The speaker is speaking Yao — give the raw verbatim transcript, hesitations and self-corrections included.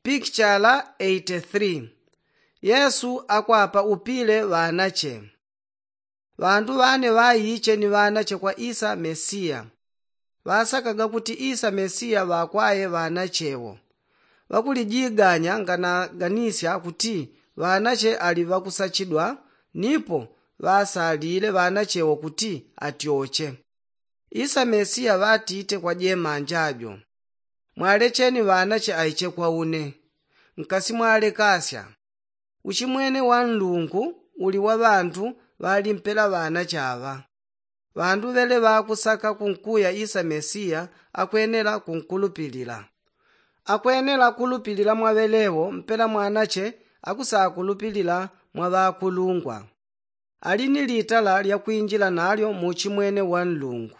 Pikichala eighty three. Yesu akwapa upile ŵanache. Ŵandu ŵane ŵaiche ni ŵanache kwa isa mesiya. Ŵasakaga kuti isa mesiya ŵakwaye ŵanache wo. Ŵakulijiganya nganaganisya kuti ŵanache ali ŵakusachidwa, nipo ŵasalile ŵanache wo kuti atyoche. Isa mesiya ŵatite kwa jemanja jo, mwalecheni ŵanache aiche kwa une. Nkasimwalekasya. Uchimwene wa nlungu uli wa ŵandu ŵalimpela ŵanache aŵa. Ŵandu ŵele ŵakusaka kunkuya isa mesiya akwenela kunkulupilila. Akwenela kulupilila mwa ŵelewo mpela mwanache akusakulupilila mwa ŵakulungwa. Ali ni litala lya kwinjila nalyo mu uchimwene wa nlungu.